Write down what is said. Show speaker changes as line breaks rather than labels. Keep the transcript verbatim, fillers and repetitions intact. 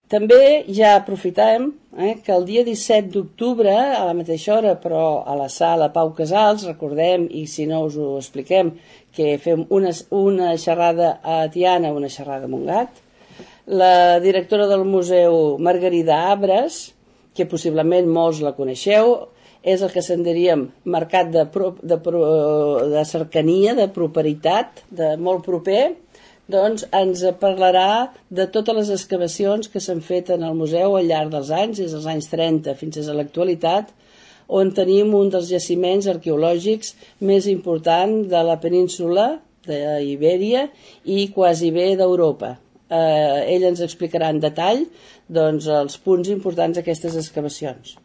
També ja aprofitem eh, que el dia disset d'octubre, a la mateixa hora, però a la sala Pau Casals, recordem, i si no us ho expliquem, que fem una, una xerrada a Tiana, una xerrada a Montgat, la directora del museu, Margarida Abres, que possiblement molts la coneixeu, és el que se'n diríem mercat de, pro, de, pro, de cercania, de properitat, de molt proper, doncs ens parlarà de totes les excavacions que s'han fet en el museu al llarg dels anys, des dels anys trenta fins a l'actualitat, on tenim un dels jaciments arqueològics més importants de la península d'Ibèria i quasi bé d'Europa. Eh, ell ens explicarà en detall doncs, els punts importants d'aquestes excavacions.